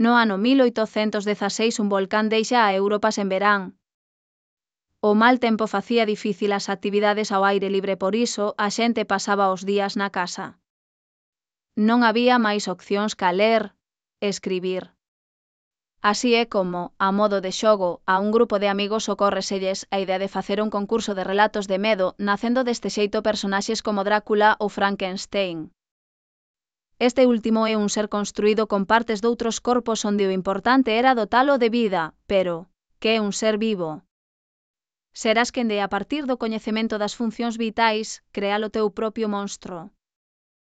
No ano 1816 un volcán deixa a Europa sen verán. O mal tempo facía difícil as actividades ao aire libre, por iso a xente pasaba os días na casa. Non había máis opcións ca ler e escribir. Así é como, a modo de xogo, a un grupo de amigos ocórreselles a idea de facer un concurso de relatos de medo, nacendo deste xeito personaxes como Drácula ou Frankenstein. Este último é un ser construído con partes doutros corpos onde o importante era dotalo de vida, pero, que é un ser vivo? Serás quen de, a partir do coñecemento das funcións vitais, crear o teu propio monstro.